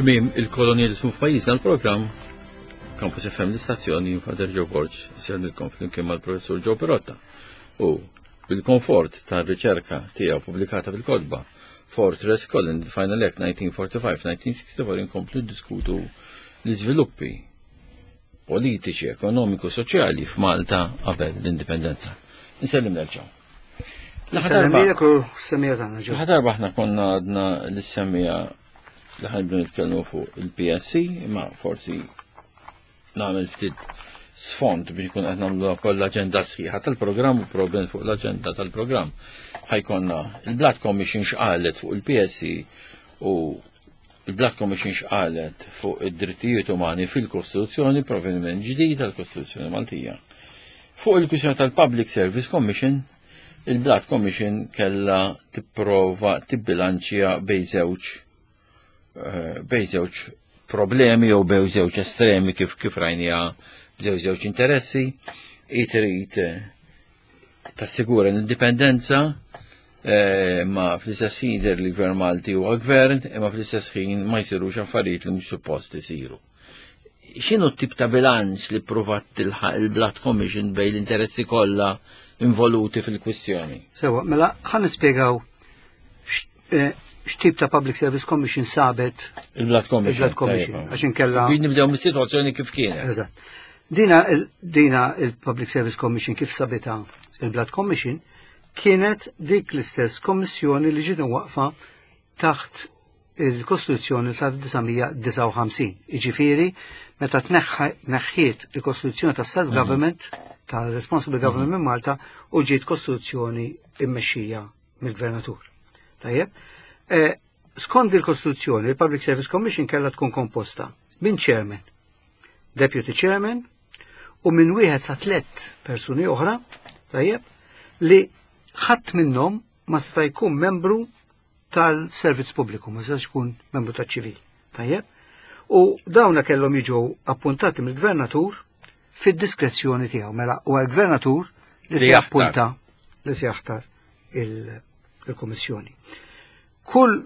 Tmiem il-kolonjalizmu f'pajjiżna l-programm Campus FM l-istazzjoni Father Joe Borg sellilkom flimkien mal-Professur Joe Perotta u bil-komfort tar-riċerka tiegħu pubblikata fil-kotba Fortress Colin Final Act 1945-1964 inkomplu diskutu l-iżviluppi politiċi, ekonomiku, soċjali f'Malta qabel l-indipendenza. Nsellim nerġgħu. L-aħħar darba aħna konna għadna l-semmija li ħanibdu nitkellmu fuq il-PSC, imma forsi nagħmel ftit sfond biex nkun qed nagħmlu wkoll l-aġenda sħiħa tal-programm u problem fuq l-aġenda tal-programm. Ħajkonna il-Black Commission x'qalet fuq il-PSC u il-Black Commission x'qalet fuq id-drittijiet umani fil-Kostituzzjoni, provvediment ġdid tal-Kostituzzjoni Maltija. Fuq il-kwistjoni tal-Public Service Commission, il-Black Commission kella tipprova tibbilanċja bejn żewġ eh, bejn żewġ problemi jew bejn żewġ estremi kif kif rajnija b'żewġ żewġ interessi, i trid eh, tassigura l-indipendenza eh, ma fl-istess ħin jidher li gvern Malti huwa gvern, imma fl-istess ħin ma jsirux affarijiet li mhux suppost isiru. X'inhu t-tip ta' bilanċ li provat tilħaq il-Blood Commission bejn l-interessi kollha involuti fil-kwistjoni? Sewa, mela ħan nispjegaw eh, x'tip ta' Public Service Commission sabet il-Blood Commission. Il-Blood Commission, għax inkella. Biex nibdew mis-sitwazzjoni kif kienet. Eżatt. Dina, dina il-Public Service Commission kif sabita il-Blood Commission kienet dik l-istess kommissjoni li ġiet waqfa taħt il-Kostituzzjoni tal-1959. Iġifieri, meta tneħħiet il-Kostituzzjoni tas-Self-Government, mhm. tal-Responsible mhm. Government minn Malta, u ġiet Kostituzzjoni immexxija mill-Gvernatur. Tajjeb? Eh, skont il-Kostituzzjoni, il-Public Service Commission kellha tkun komposta minn chairman, deputy chairman u minn wieħed sa tliet persuni oħra, tajjeb, li ħadd minnhom ma seta' jkun membru tal-servizz pubbliku, ma setax ikun membru taċ-ċivil. Tajjeb? U dawna kellhom jiġu appuntati mill-gvernatur fid-diskrezzjoni tiegħu. Mela huwa l-gvernatur li se jappunta li se jaħtar il-kummissjoni. Kull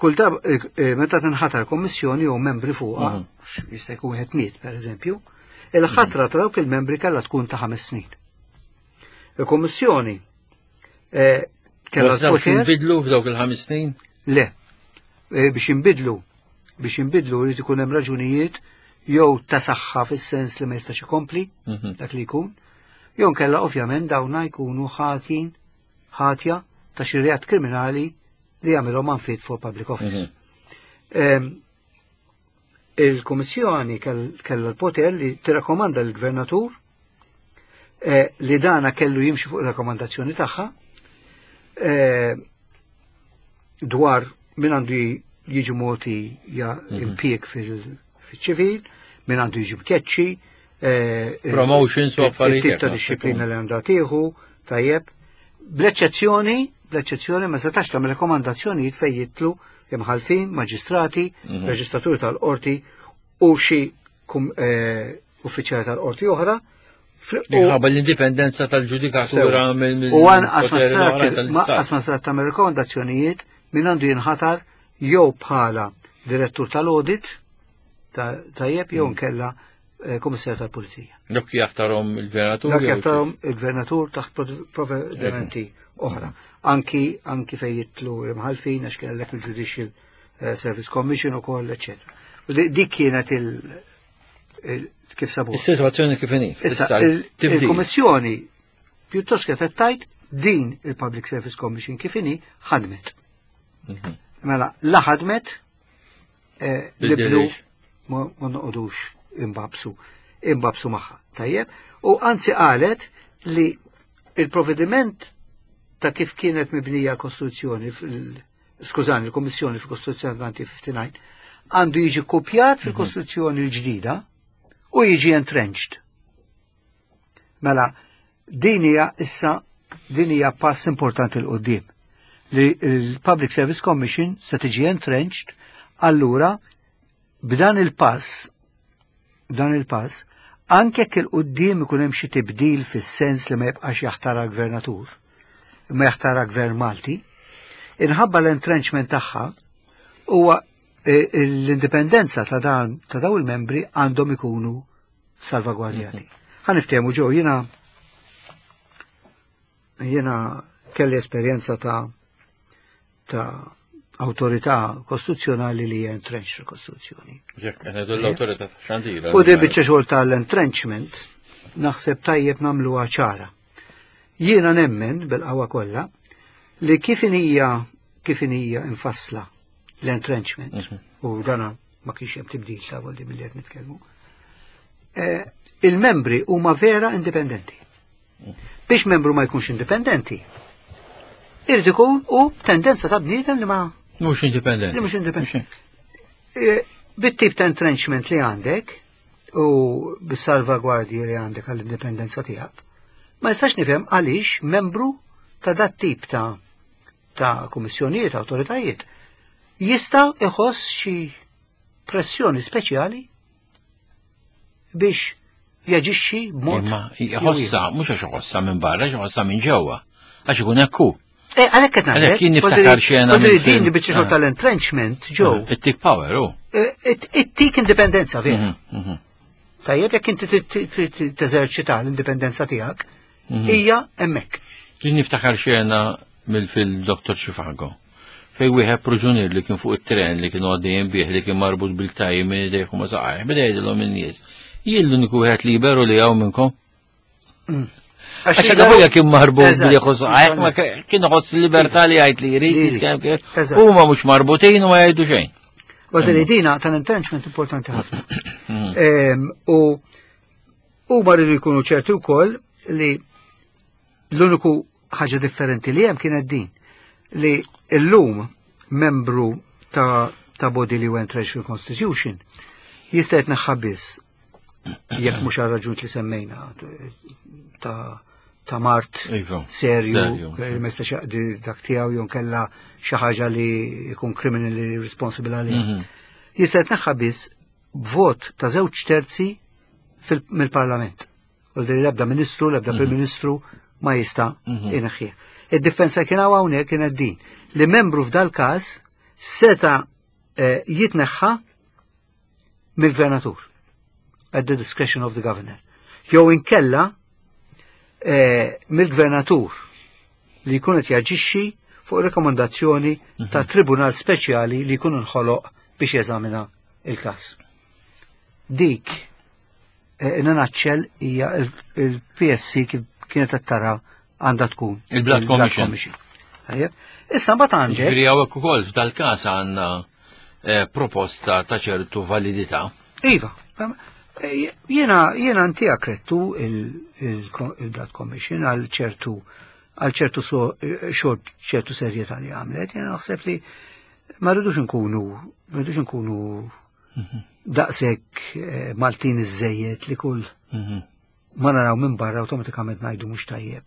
kull darba eh, eh, meta tinħatar kommissjoni jew membri fuqha, mhm. jista' jkun wieħed miet pereżempju, il-ħatra ta' dawk il-membri kellha tkun ta' ħames snin. Il-Kommissjoni Eh, kellha l-poter. Bidlu f'dawk il-ħames snin? Le. Eh, biex inbidlu, biex inbidlu jrid ikun hemm raġunijiet jew ta' saħħa fis-sens li ma jistax ikompli mhm. dak li jkun, jew nkella ovvjament dawna jkunu ħatin ħatja ta' xi reat kriminali li jagħmilhom unfit for public office. Mhm. Il-Kummissjoni kellha l-poter li tirrakkomanda l-Gvernatur eh, li dana kellu jimxi fuq rakkomandazzjoni tagħha eh, dwar min għandu jiġi moti ja mhm. impjieg fil-ċivil, min għandu jiġi mkeċċi, eh, promotions u affarijiet. Ta' disciplina li għandha tieħu, tajjeb, bl-eċċezzjoni, bl-eċċezzjoni ma setax tagħmel rekomandazzjonijiet fejn jitlu imħalfin, maġistrati, mhm. reġistraturi tal-qorti u xi eh, uffiċjali tal-qorti oħra. Minħabba l-indipendenza tal-ġudikatura mill U għan qas ma sar tagħmel rekomandazzjonijiet min għandu jinħatar jew bħala direttur tal-audit tajjeb jew mm. nkella eh, komissar tal-pulizija. Dak jaħtarhom il-gvernatur. Dak jaħtarhom il-gvernatur taħt provvedimenti oħra. Anki anki fejn jitlu l-imħalfin għax kellek il-Judicial eh, Service Commission ukoll, eċetera. Dik kienet il kif sabu. Is-sitwazzjoni kif inhi. Issa il-Kummissjoni pjuttost kif qed din il-Public Service Commission kif inhi ħadmet. Mhm. Mela, la ħadmet eh, li blu ma noqogħdux imbabsu imbabsu magħha. Tajjeb? U anzi qalet li il-provvediment ta' kif kienet mibnija l-Kostituzzjoni skużani, l-Kommissjoni fil-Kostituzzjoni 1959 għandu jiġi kopjat mhm. fil-Kostituzzjoni l-ġdida u jiġi entrenched. Mela, din hija issa din hija pass importanti l qoddim li l-Public Service Commission se tiġi entrenched, allura b'dan il-pass b'dan il-pass anke jekk il-qudiem ikun hemm xi tibdil fis-sens li ma jibqax jaħtara gvernatur, imma jaħtara gvern Malti, inħabba l-entrenchment tagħha huwa L-indipendenza ta' dan ta' daw il-membri għandhom ikunu salvagwardjati. Ħa niftehmu ġew jiena kelli esperjenza ta' awtorità kostituzzjonali li hija entrenched fil-Kostituzzjoni. Jekk qed ngħidu l-awtorità xandira. U di biċċa xogħol tal-entrenchment naħseb tajjeb nagħmluha ċara. Jiena nemmen bil-qawwa kollha li kif inhija infassla l-entrenchment u dana ma kienx hemm tibdil ta' volli milli qed nitkellmu. Il-membri huma vera indipendenti. Biex membru ma jkunx indipendenti, irid ikun u tendenza ta' bniedem li ma Mhux indipendenti. Li mhux indipendenti. Bit-tip ta' entrenchment li għandek u bis-salvagwardji li għandek għall-indipendenza tiegħek, ma nistax nifhem għaliex membru ta' dat tip ta' kummissjonijiet, awtoritajiet, jista' iħoss xi pressjoni speċjali biex jaġixxi b'mod. Imma jħossa, mhux għax iħossa minn barra, għax iħossa minn ġewwa. Għax ikun hekk hu. Għalhekk qed ngħidlek. Għalhekk jien niftakar xena Podri minn din film. li biċċa xogħol tal-entrenchment ġew. It-tik power hu. It-tik indipendenza vera. Tajjeb jekk inti teżerċita l-indipendenza tiegħek, hija hemmhekk. Jien niftakar xena mill-film Dr. Zhivago. Fej wieħed proġunier li kien fuq it-tren li kienu għaddejjin bih li kien marbut bil-tajji minn idejh u ma saqajh, beda jgħidilhom in-nies. Jien l-uniku wieħed liberu li hawn minnkom. Għax dak kien marbut bil saqajh, ma kien iħoss il-libertà li jgħid li jrid, jitkellem kif. Huma mhux marbutin u ma jgħidu xejn. Għad li dina tal-entrenchment importanti ħafna. U huma rridu jkunu ċerti wkoll li l-uniku ħaġa differenti li hemm kienet din li illum membru ta' body li entrenched fil-Constitution jista' jitneħħa biss jekk mhux għal raġun li semmejna ta' mard serju, li ma jistax jaqdi dak tiegħu jew kella xi ħaġa li jkun criminally responsible għaliha. Jista' jitneħħa biss b'vot ta' 2/3 mill-Parlament. U li l-ebda ministru, l-ebda Prim Ministru ma jista' ineħħih. Id-differenza kien hawn hawnhekk kienet din li membru f'dal każ seta' jitneħħa mill-gvernatur at the discretion of the governor. Jew inkella mill-gvernatur li jkun qed jaġixxi fuq rekomendazzjoni ta' tribunal speċjali li jkun inħoloq biex jeżamina il-każ. Dik in a nutshell hija il-PSC kif kienet qed tara għandha tkun Il-Blood il-Blood Commission. Commission. Tajjeb. Issa mbagħad għandek Ġifieri hawnhekk ukoll f'dal-każ għandna proposta ta' ċertu validità. Iva, jiena inti krettu il-Blood Commission għal ċertu xogħol ċertu serjetà li għamlet, jiena naħseb li ma rridux nkunu, ma rridux nkunu daqshekk Maltin iżejjed li kull ma naraw minn barra awtomatikament ngħidu mhux tajjeb.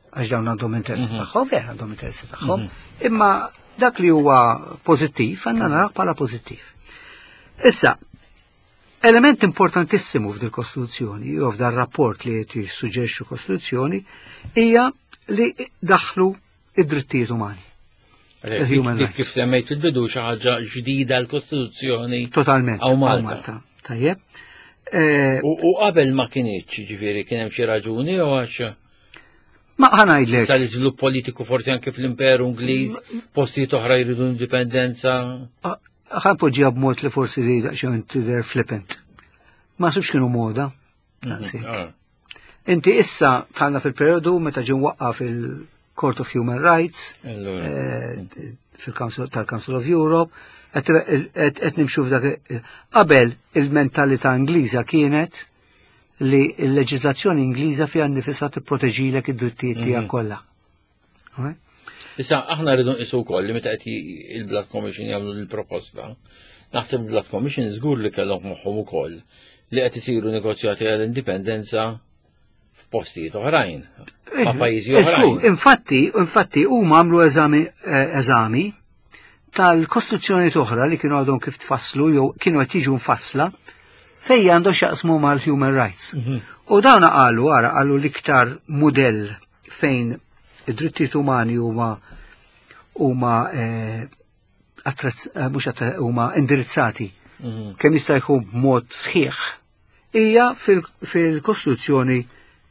Għax dawn għandhom interessi tagħhom, vera għandhom interessi tagħhom, imma dak li huwa pożittiv għandna naraw bħala pożittiv. Issa, element importantissimu f'dil Kostituzzjoni jew f'dar rapport li qed jissuġġerixxu Kostituzzjoni hija li daħlu id-drittijiet umani. Għalhekk, Il-human kif rights. Kif semmejt fil-bidu xi ħaġa ġdida l-Kostituzzjoni. Totalment. Għaw Għaw Malta. Malta. Tajjeb. U qabel ma kienx, ġifieri kien hemm xi raġuni jew għax Ma ħa ngħidlek. Sa l-iżvilupp politiku forsi anke fl-Imperu Ingliż, postijiet oħra jridu indipendenza. Ħa npoġġiha b'mod li forsi li daqsxejn tidher flippant. Ma sibx kienu moda. Daqshekk. Inti issa tħallna fil-periodu meta ġie mwaqqaf il-Court of Human Rights, fil-Council tal-Council of Europe, qed nimxu f'dak qabel il-mentalità Ingliża kienet li l-leġiżlazzjoni Ingliża fiha nnifisha tipproteġilek id-drittijiet tiegħek kollha. Alright? Issa aħna rridu nqisu wkoll li meta qed il-Blood Commission jagħmlu l-proposta, naħseb il-Blood Commission żgur li kellhom moħħhom ukoll li qed isiru negozjati għall-indipendenza f'postijiet oħrajn, ma' pajjiżi oħrajn. Żgur, infatti huma għamlu eżami tal-kostituzzjoni oħra li kienu għadhom kif tfasslu jew kienu qed jiġu mfassla fejn għandu x'jaqsmu mal-human rights. U dawn qalu, ara, qalu l-iktar mudell fejn id-drittijiet umani huma mhux huma indirizzati kemm jista' jkun b'mod sħiħ hija fil-Kostituzzjoni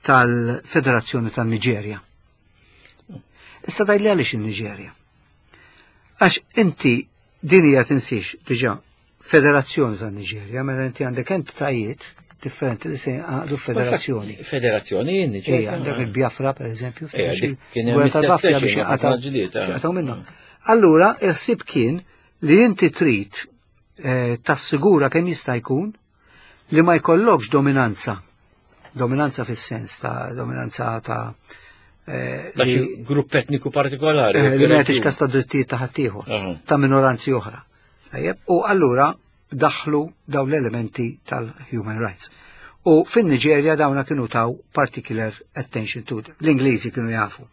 tal-Federazzjoni tan-Niġerja. Issa tgħidli għaliex in-Niġerja? Għax inti din hija tinsiex diġà Federazzjoni tan-Niġerja, mela inti għandek entitajiet differenti li se jgħaqdu federazzjoni. Federazzjoni Niġerja. Għandek il-Biafra, per eżempju, kien hemm tal-Biafra biex jaqgħu minnhom. Allura, il-ħsieb kien li inti trid tassigura kemm jista' jkun li ma jkollokx dominanza. Dominanza fis-sens ta' dominanza ta' ta' xi grupp etniku partikolari. Li ma jagħtix kas ta' drittijiet ta' ħaddieħor, ta' minoranzi oħra. Tajjeb, u allura daħlu dawn l-elementi tal-human rights. U fin-Niġerja dawna kienu taw particular attention to them. L-Ingliżi kienu jafu.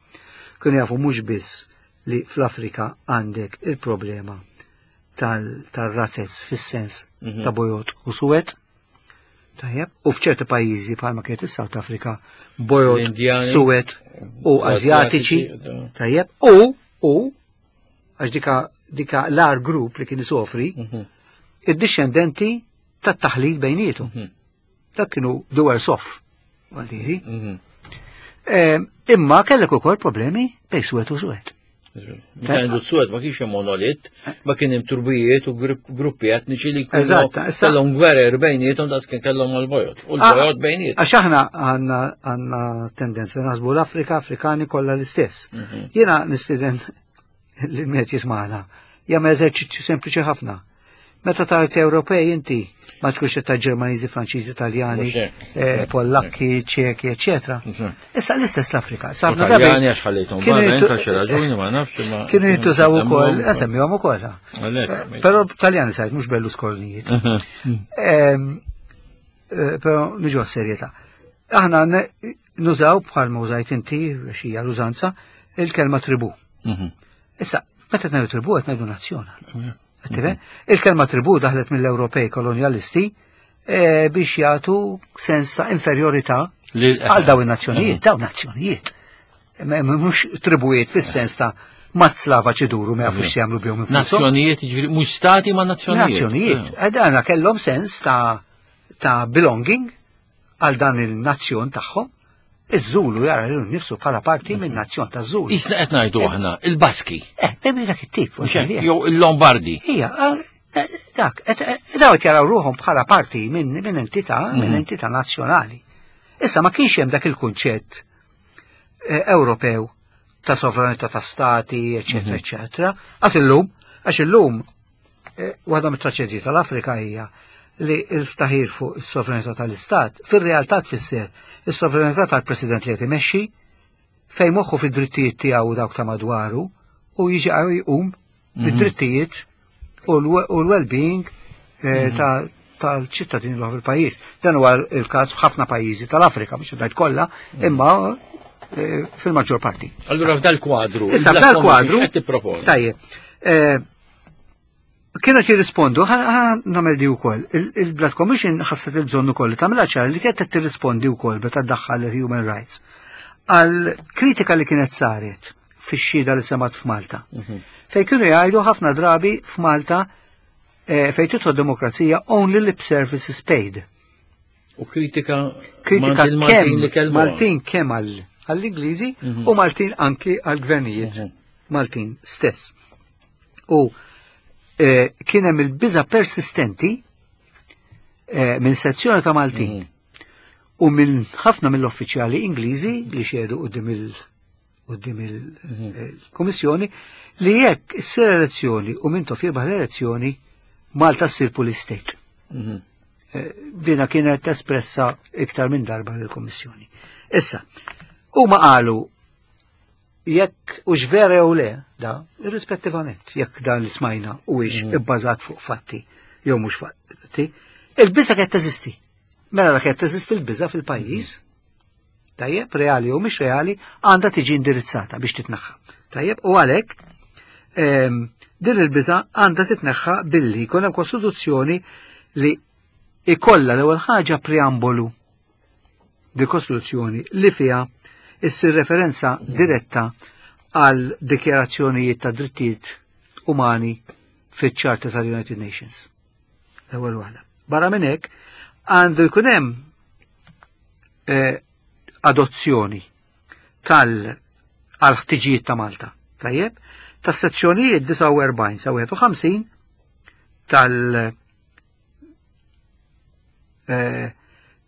Kienu jafu mhux biss li fl-Afrika għandek il-problema tal-razzez fis-sens ta' bojod u suwed. Tajjeb, u f'ċerti pajjiżi bħalma kienet is-South Africa, bojod, suwed u Azjatiċi. Tajjeb, u għax dika l-ar grupp li kien isofri, id-dixxendenti tat-taħlit bejnietu. Dak kienu the worse off, għaldiri. Imma kellek ukoll problemi bejn suwed u suwed. Meta ngħidu suwed ma kienx hemm monolit, ma kien hemm turbijiet u gruppi etniċi li kienu kellhom gwerer bejniethom daqs kien kellhom mal-bojod. U l-bojod bejniethom. Għax aħna għandna tendenza naħsbu l-Afrika, Afrikani kollha l-istess. Jiena nistieden li met jismagħna jagħmel eżerċizzju sempliċi ħafna. Meta tara Ewropej inti ma tkunx ta' Ġermaniżi, Franċiżi, Italjani, Pollakki, Ċeki, eċetera. Issa l-istess l-Afrika. Sabna Taljani għax ħallejthom barra, inta xi raġuni ma nafx ma. Kienu jintużaw ukoll, semmihom ukoll. Però Taljani sajt mhux Berlusconijiet. Però niġu għas-serjetà. Aħna nużaw bħal ma użajt inti xi l-użanza il-kelma tribu. Issa, meta ngħidu tribu qed ngħidu nazzjon. Il-kelma tribu daħlet mill-Ewropej kolonjalisti biex jagħtu sens ta' inferjorità għal dawn in-nazzjonijiet, dawn nazzjonijiet. Mhux tribujiet fis-sens ta' mazz lava ċiduru ma jafux jagħmlu bihom infushom. Nazzjonijiet, jiġifieri mhux stati ma' nazzjonijiet. Nazzjonijiet. Dana kellhom sens ta' belonging għal dan il-nazzjon tagħhom. Iż-Żulu jara lil nifsu bħala parti minn nazzjon ta' Żulu. Isna qed ngħidu aħna il-Baski. Bejn dak it-tip. Jew il-Lombardi. Ija, dak, daw qed jaraw ruħhom bħala parti minn entità, minn entità nazzjonali. Issa ma kienx hemm dak il-kunċett Ewropew ta' sovranità ta' stati, eċetera, eċetera. Għax illum, għax illum waħda mit-traċedji tal-Afrika hija li l-ftaħir fuq is-sovranità tal-istat fir-realtà tfisser is-sovranità tal-president li qed imexxi fejn moħħu fid-drittijiet tiegħu u dawk ta' madwaru u jiġi jqum id-drittijiet u l-well-being tal-ċittadini l fil-pajjiż. Dan huwa il-każ f'ħafna pajjiżi tal-Afrika, mhux ngħid kollha, imma fil-maġġor parti. Allura f'dal kwadru. Issa f'dal kwadru. Tajjeb. Kienu jirrispondu, ħa nagħmel di wkoll. Il-Blood Commission ħasset il-bżonn ukoll li tagħmilha ċar li kienet tirrispondi wkoll meta ddaħħal il-human rights għal kritika li kienet saret fix-xhieda li semat f'Malta. Fej kienu jgħidu ħafna drabi f'Malta fejn tidħol demokrazija only lip service is paid. U kritika Kritika kemm Maltin kemm għall-Ingliżi u Maltin anki għall-gvernijiet Maltin stess. U kien hemm il-biża persistenti minn sezzjoni ta' Maltin u minn ħafna mill-uffiċjali Ingliżi li xehdu quddiem il-Kummissjoni li jekk issir elezzjoni u Mintoff jirbaħ l-elezzjoni Malta ssir police state. Dina kienet espressa iktar minn darba lill-Kummissjoni. Issa, huma qalu jekk u vera jew le, da, irrispettivament, jekk dan li smajna u ix ibbażat fuq fatti jew mhux fatti, il-biża qed teżisti. Mela la qed teżisti l-biża fil-pajjiż, tajjeb, reali jew mhix reali, għandha tiġi indirizzata biex titneħħa. Tajjeb, u għalhekk din il-biża għandha titneħħa billi jkun hemm kostituzzjoni li ikolla l-ewwel ħaġa preambolu di kostituzzjoni li fiha issir referenza diretta għal dikjarazzjonijiet ta' drittijiet umani. fiċ-Charter tal-United Nations. L-ewwel waħda. Barra minn hekk għandu jkun hemm eh, adozzjoni tal għal ħtiġijiet ta' Malta. Tajjeb, tas sezzjonijiet 49 sa 51 tal eh,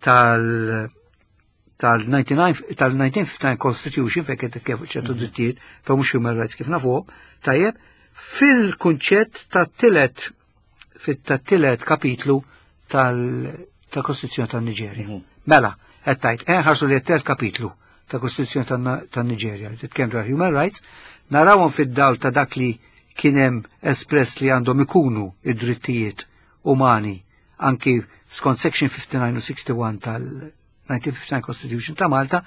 tal tal-1959 Constitution fejn qed titkellem fuq ċertu mhm. drittijiet, però mhux human rights kif nafu, tajjeb, fil-kunċett tat-tielet fit-tielet kapitlu tal-Kostituzzjoni tan-Niġerja. Mhm. Mela, qed tgħid, eh ħarsu li t-tielet kapitlu tal-Kostituzzjoni tan-Niġerja li titkellem dwar human rights, narawhom fid-dawl ta' dak li kien hemm espress li għandhom ikunu id-drittijiet umani anki skont section 59 u 61 tal-1959 Constitution ta' Malta,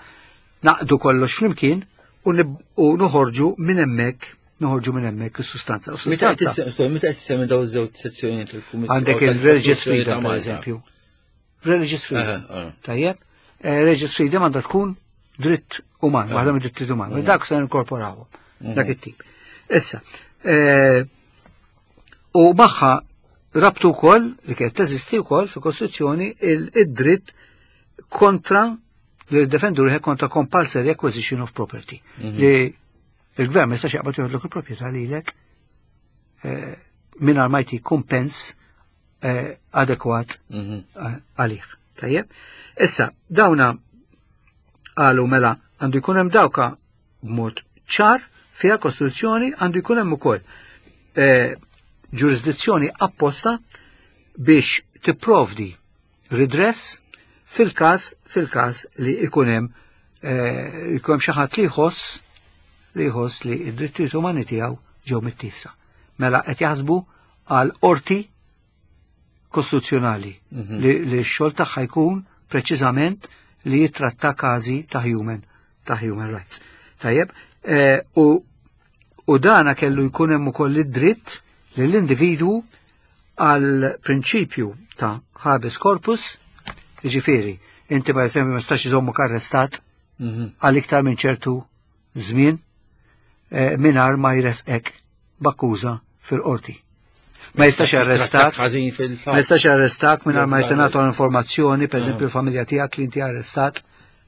naqdu kollox flimkien u noħorġu minn hemmhekk noħorġu minn hemmhekk is-sustanza. Meta qed tissemmi daw iż-żewġ sezzjonijiet il-Kummissjoni. Għandek il-Religious Freedom per eżempju. Religious Freedom. Tajjeb, eh, Religious Freedom għandha tkun dritt uman, waħda minn drittijiet uman. Dak se ninkorporawhom, mhm. dak it-tip. Issa, eh, u magħha rabtu wkoll li kienet teżisti wkoll fil-Kostituzzjoni id-dritt kontra li defendu ruħek kontra compulsory acquisition of property. Mhm. Li il-gvern ma jistax jaqbad joħodlok il-proprjetà lilek eh, mingħajr ma jtik kumpens eh, adekwat mhm. eh, għalih. Tajjeb? Issa, dawna qalu mela għandu jkun hemm dawka b'mod ċar fiha kostituzzjoni għandu jkun hemm ukoll eh, ġurisdizzjoni apposta biex tipprovdi redress fil-każ fil-każ li ikun hemm eh, ikun hemm xi ħadd li jħoss li jħoss li d-drittijiet umani tiegħu ġew mittifsa. Mela qed jaħsbu għal qorti kostituzzjonali mhm. li, li x-xogħol tagħha jkun preċiżament li jitratta każi ta' human ta' human rights. Tajjeb, eh, u, u dana kellu jkun hemm ukoll id-dritt li l-individwu għal prinċipju ta' habeas corpus, jiġifieri, inti per eżempju ma stax iżommok arrestat mhm. għal iktar minn ċertu żmien eh, mingħajr ma jresqek b'akkuża fil-qorti. Ma jistax arrestak. Ma jistax arrestak mingħajr ma jtingħata informazzjoni, pereżempju l-familja tiegħek li inti arrestat,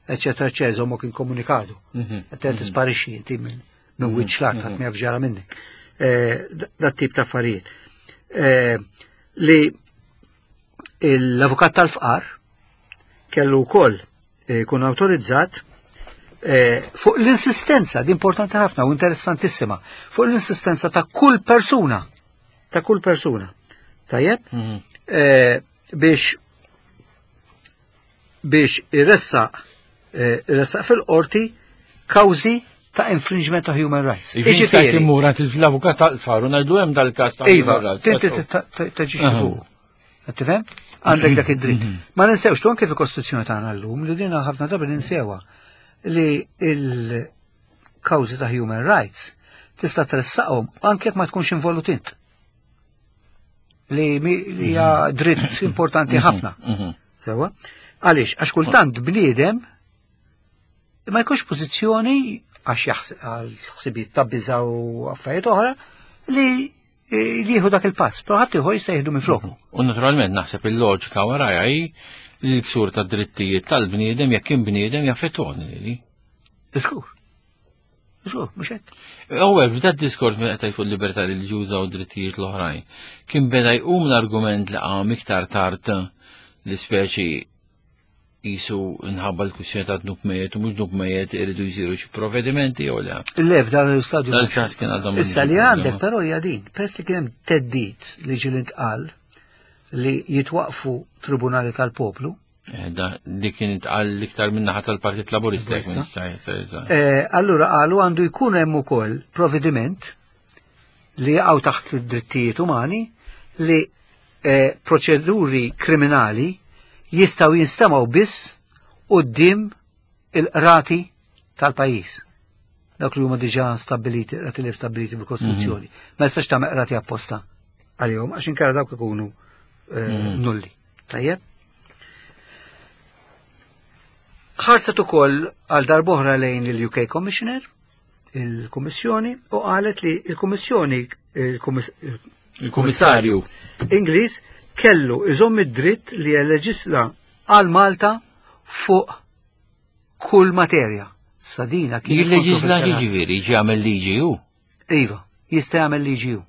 eċetera, eċetera, żommok inkomunikadu. Mhm. Qed mhm. tisparixxi inti minn minn mhm. wiċċ l-art ħadd ma jaf ġara minnek. Eh, dat tip ta' affarijiet. Eh, li l-avukat tal-fqar kellu wkoll eh, jkun awtorizzat eh, fuq l-insistenza, di importanti ħafna u interessantissima, fuq l-insistenza ta' kull persuna, ta' kull persuna, tajjeb, mm -hmm. biex biex iressaq iressaq fil-qorti kawżi ta' infringement ta' human rights. Iġifieri immur għand l-avukat tal-faru ngħidu hemm dal-każ ta' iva, human rights. Iva, tinti taġixxi fuq. Qed tifhem? Għandek dak id-dritt. Mhm. Ma ninsewx tu anke fil-Kostituzzjoni tagħna llum li dina ħafna drabi ninsewha li il-kawżi ta' human rights tista' tressaqhom anke jekk ma tkunx involut int. Li hija mhm. dritt importanti mhm. ħafna. Sewa? Għaliex, għax kultant bniedem ma jkunx pożizzjoni għax għal ħsibijiet ta' biża u affarijiet oħra li li jieħu dak il-pass, però ħadd ieħor jista' jieħdu minn floku. U naturalment naħseb il-loġika warajha hi li l-ksur ta' drittijiet tal-bniedem jekk kien bniedem jaffettwani li. Żgur. Żgur, mhux hekk. Ewwel f'dak diskors meta qed fuq libertà reliġjuża u drittijiet l-oħrajn, kien beda jqum l-argument li qam iktar tard li speċi Qisu nħabba l-kwistjoni ta' dnub mejjet u mhux dnub mejjet iridu jsiru xi provvedimenti jew le. Le f'dan l-istadju. Dal-każ kien għadhom. Issa li għandek però hija din, peress li kien hemm teddid li ġie intqal li jitwaqfu tribunali tal-poplu. Eh, li kien intqal l-iktar min-naħa tal-Partit Laburista. Eh, allura qalu għandu jkun hemm ukoll provvediment li jaqgħu taħt id-drittijiet umani li eh, proċeduri kriminali jistgħu jinstemgħu biss quddiem il-qrati tal-pajjiż. Dawk li huma diġà stabbiliti, qrati li stabbiliti bil-Kostituzzjoni. Mhm. Ma jistax tagħmel qrati apposta għalihom għax inkella dawk ikunu eh, mhm. nulli. Tajjeb? Ħarset ukoll għal darbohra lejn il-UK Commissioner il-Kummissjoni u qalet li il-Kummissjoni Il-Kummissarju. Ingliż kellu iżomm id-dritt li jeleġisla għal Malta fuq kull materja. Sadina kien. Jilleġisla jiġifieri jagħmel liġi hu. Iva, jista' jagħmel liġi hu.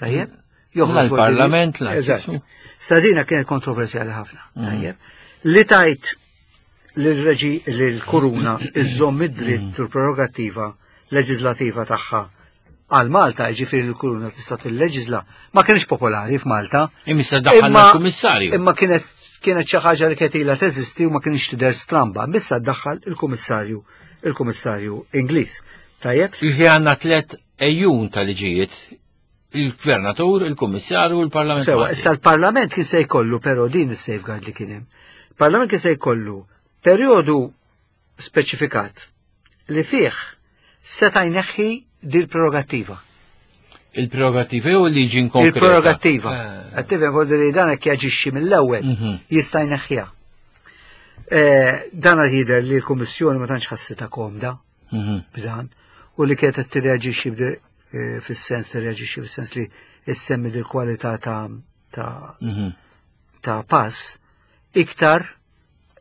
Tajjeb? Joħroġ l-Parlament la. Eżatt. Sadina kienet kontroversjali ħafna. Tajjeb. Li tajt l-reġi l-kuruna iżżomm id-dritt u l-prerogattiva leġislativa tagħha għal Malta, ġifieri l-kuruna tista' tilleġisla, ma kienx popolari f'Malta. Imma daħħal il-kummissarju. Imma kienet kienet xi ħaġa li kienet ilha teżisti u ma kienx tidher stramba, bissa daħħal il-kummissarju il-kummissarju Ingliż. Tajjeb? Jiġi għandna tlet ejjun ta' liġijiet il-gvernatur, il-kummissarju u l-parlament. Sewa, issa l-parlament kien se jkollu però din is-safeguard li kien hemm. Parlament kien se jkollu perjodu speċifikat li fih seta' jneħħi dil prerogattiva. Il-prerogattiva jew liġi konkreta? Il-prerogattiva. Għattiva eh. li dan hekk jaġixxi mill-ewwel jista' jneħħiha. Eh, dan jidher li l-Kummissjoni ma tantx ħassitha komda b'dan u li kienet qed tirreaġixxi eh, fis-sens tirreaġixxi fis-sens li issemmi dil-kwalità ta' ta' ta' pass iktar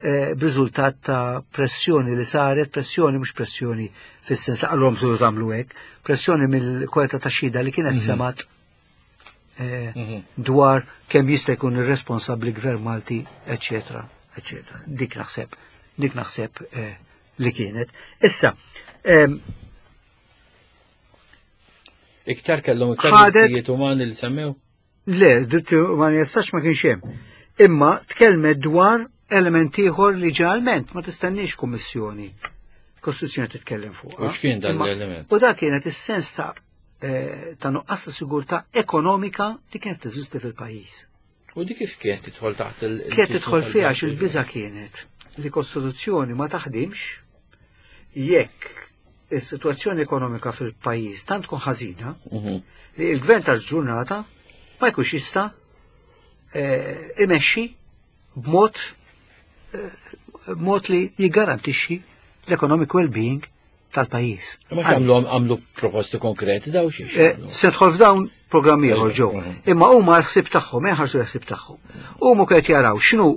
eh, b'riżultat ta' pressjoni li saret, pressjoni mhux pressjoni fis-sens li qalhom tridu tagħmlu hekk, pressjoni mill-kwalità ta' xhieda li kienet semat eh, dwar kemm jista' jkun irresponsabbli gvern Malti, eċetera, eċetera. Dik naħseb, dik naħseb eh, li kienet. Issa, Iktar kellhom iktar drittijiet umani li semmew? Le, dritti umani jistax ma kienx hemm. Imma tkellmet dwar element ieħor li ġeneralment ma tistenniex kummissjoni. Kostituzzjoni titkellem fuq. U x'kien dan l-element? U dak kienet is-sens ta' eh, ta' nuqqas ta' sigurtà ekonomika li kienet teżisti fil-pajjiż. U dik kif kienet tidħol taħt il- Kienet tidħol fiha għax il-biża kienet li kostituzzjoni ma taħdimx jekk is-sitwazzjoni ekonomika fil-pajjiż tant tkun ħażina li l-gvern tal-ġurnata ma jkunx jista' eh, imexxi b'mod eh, b'mod li jiggarantixxi l-economic well-being tal-pajjiż. Ma għamlu għamlu proposti konkreti daw xiex. Eh, se tħol f'dawn programmi ieħor ġew. Imma huma l-ħsieb tagħhom, eh, ħarsu l-ħsieb tagħhom. Huma qed jaraw x'inhu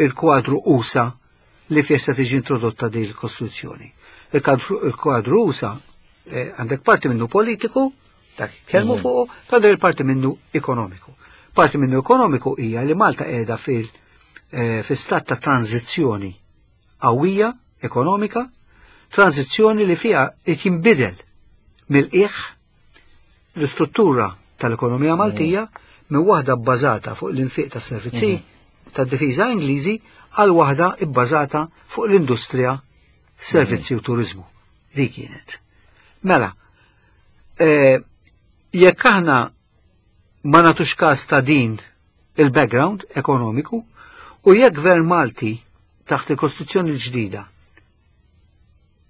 il-kwadru usa li fih se tiġi introdotta din il-Kostituzzjoni. Il-kwadru usa eh, għandek parti minnu politiku, dak kelmu fuq, għandek il-parti minnu ekonomiku. Parti minnu ekonomiku hija li Malta qiegħda fil eh, fi stat ta' tranzizzjoni qawwija ekonomika, tranzizzjoni li fiha qed jinbidel mill-qiegħ l-istruttura tal-ekonomija Maltija minn waħda bbażata fuq l-infiq ta' servizzi tad-difiża Ingliżi għal waħda bbażata fuq l-industrija, servizzi u turizmu. Dik kienet. Mela, eh, jekk aħna ma nagħtux każ ta' din il-background ekonomiku u jekk gvern Malti taħt il-Kostituzzjoni l-ġdida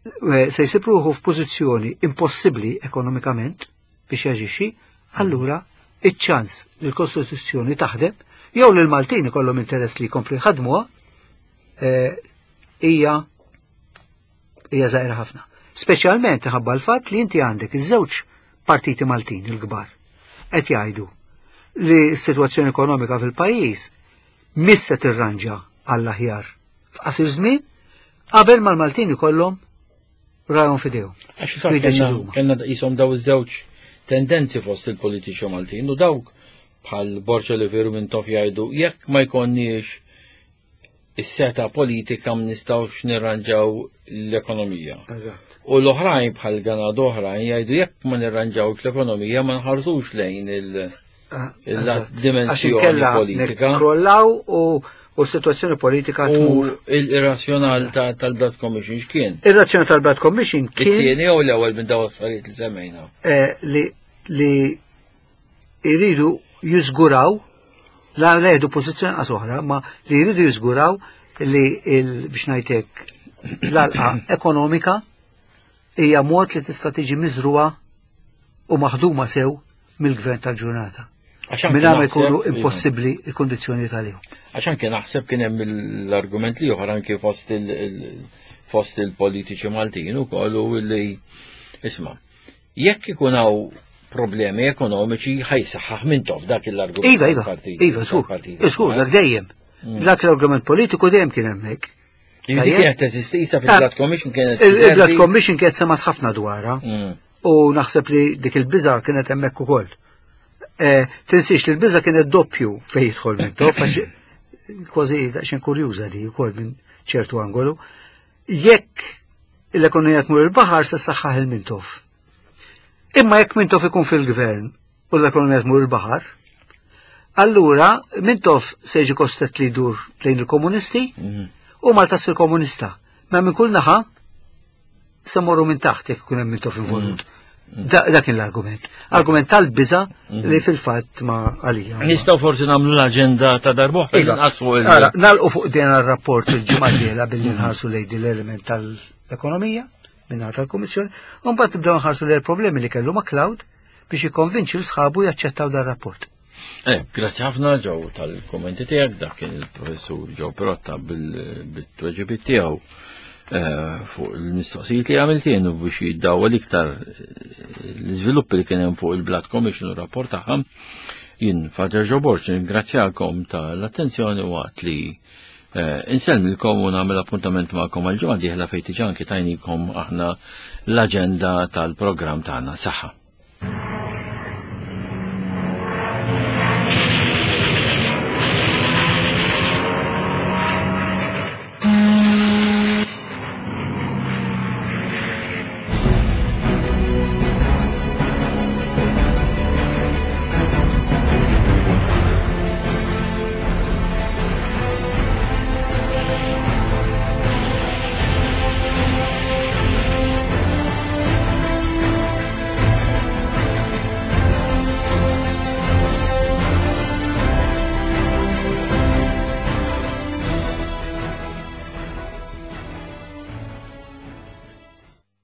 eh, se jsib ruħu f'pożizzjoni impossibbli ekonomikament biex jaġixxi, allura iċ-ċans li l-Kostituzzjoni taħdem jew li l-Maltin ikollhom interess li jkomplu jħadmuha eh, hija hija żgħira ħafna. Speċjalment ħabba l-fatt li inti għandek iż-żewġ partiti Maltin il-kbar qed jgħidu li s-sitwazzjoni ekonomika fil-pajjiż mhix se tirranġa għall-aħjar f'qasir żmien qabel ma l-Maltin ikollhom rajhom f'idejhom. Għax fil-fatt kellna qishom daw iż-żewġ tendenzi fost il-politiċi Maltin u dawk bħal Borġa li veru minn tof jgħidu jekk ma jkollniex is-seta politika ma nistgħux nirranġaw l-ekonomija. U l-oħrajn bħal ganad oħrajn jgħidu jekk ma nirranġawx l-ekonomija ma nħarsux lejn il-dimensjoni politika. Krollaw u u situazzjoni politika tmur. Il-razzjonal tal-Blood Commission x'kien? Ir-razzjonal tal-Blood Commission kien. It-tieni jew l-ewwel minn dawn affarijiet li semmejna. Eh, li jridu jiżguraw la leħdu pożizzjoni qas oħra, ma li jridu jiżguraw li biex ngħidlek l-alqa ekonomika hija mod li tista' tiġi miżruha u maħduma sew mill-gvern tal-ġurnata. Minn ma jkunu impossibbli il-kondizzjoni tal-jum. Għax anke naħseb kien hemm l-argument li oħra anke fost fost il-politiċi Maltin ukoll u li isma' jekk ikun hawn problemi ekonomiċi ħa jsaħħaħ Mintoff dak l-argument. Iva, iva, iva, żgur, żgur, dak dejjem. Dak l-argument politiku dejjem kien hemmhekk. Dik kienet teżisti isa fil-Blood Commission kienet. Il-Blood Commission kienet semat ħafna dwarha. U naħseb li dik il-biża kienet hemmhekk ukoll. Tinsiex li l-biża kienet doppju fejn jidħol Mintoff, għax kważi daqsxejn kurjuża di wkoll minn ċertu angolu. Jekk l-ekonomija tmur il-baħar se saħħaħ il-Mintoff. Imma jekk Mintoff ikun fil-gvern u l-ekonomija tmur il-baħar, allura Mintoff se jiġi kostret li jdur lejn il-komunisti u Malta ssir komunista. Ma minn kull naħa se morru minn taħt jekk ikun hemm Mintoff involut. Dak kien l-argument. Argument tal-biża li fil-fatt ma għalija. Nistgħu forsi nagħmlu l-aġenda ta' darb'oħra Iva. nqasmu il- Ara, nagħlqu fuq din ir-rapport il-ġimgħa d-dieħla billi nħarsu lejn din l-element tal-ekonomija minn tal-Kummissjoni, u mbagħad nibdew nħarsu lejn il-problemi li kellu McCloud biex jikkonvinċi l sħabu jaċċettaw dan rapport. Grazzi ħafna Joe tal-kommenti tiegħek, dak kien il-professur Joe Pirotta bil-tweġibiet tiegħu fuq il-mistoqsijiet li għamilt jien u biex jiddawwal iktar l-iżviluppi li kien hemm fuq il-Blood Commission u rapport tagħha. Jien Father Joe Borg ningrazzjakom tal-attenzjoni waqt li insellmilkom u nagħmel appuntament magħkom għal ġimgħa dieħla fejn diġà anki tajnikom aħna l-aġenda tal-programm tagħna. Saħħa.